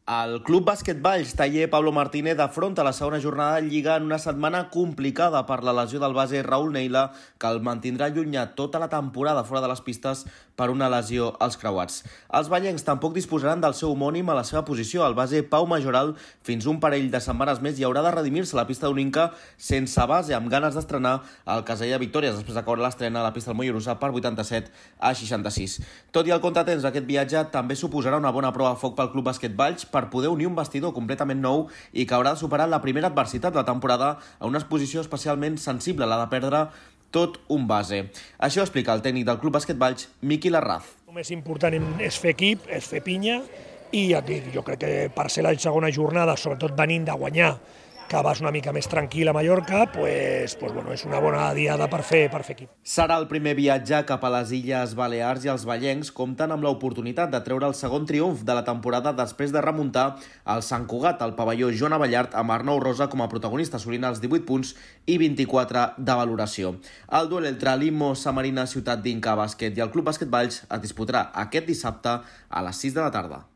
El Club Bàsquet Valls taller Pablo Martínez afronta la segona jornada de Lliga en una setmana complicada per la lesió del base Raúl Neila, que el mantindrà allunyat tota la temporada fora de les pistes per una lesió als creuats. Els vallencs tampoc disposaran del seu homònim a la seva posició. El base Pau Majoral, fins un parell de setmanes més, i haurà de redimir-se a la pista d'Uninca sense base, amb ganes d'estrenar el Casella Victòries després de caure l'estrena a la pista del Mollerussa per 87-66. Tot i el contratemps d'aquest viatge, també suposarà una bona prova a foc pel Club Bàsquet Valls per poder unir un vestidor completament nou i que haurà de superar la primera adversitat de la temporada a una exposició especialment sensible, la de perdre tot un base. Això explica el tècnic del Club Bàsquet Valls, Miqui Larraz. El més important és fer equip, és fer pinya, i ja et dic, jo crec que per ser la segona jornada, sobretot venint de guanyar, que vas una mica més tranquil a Mallorca, és una bona diada per fer equip. Serà el primer viatge cap a les Illes Balears i els vallencs compten amb l'oportunitat de treure el segon triomf de la temporada després de remuntar el Sant Cugat al pavelló Joan Abellart amb Arnau Rosa com a protagonista, assolint els 18 punts i 24 de valoració. El duel entre l'Immo Samarina Ciutat d'Inca Bàsquet i el Club Bàsquet Valls es disputarà aquest dissabte a les 6 de la tarda.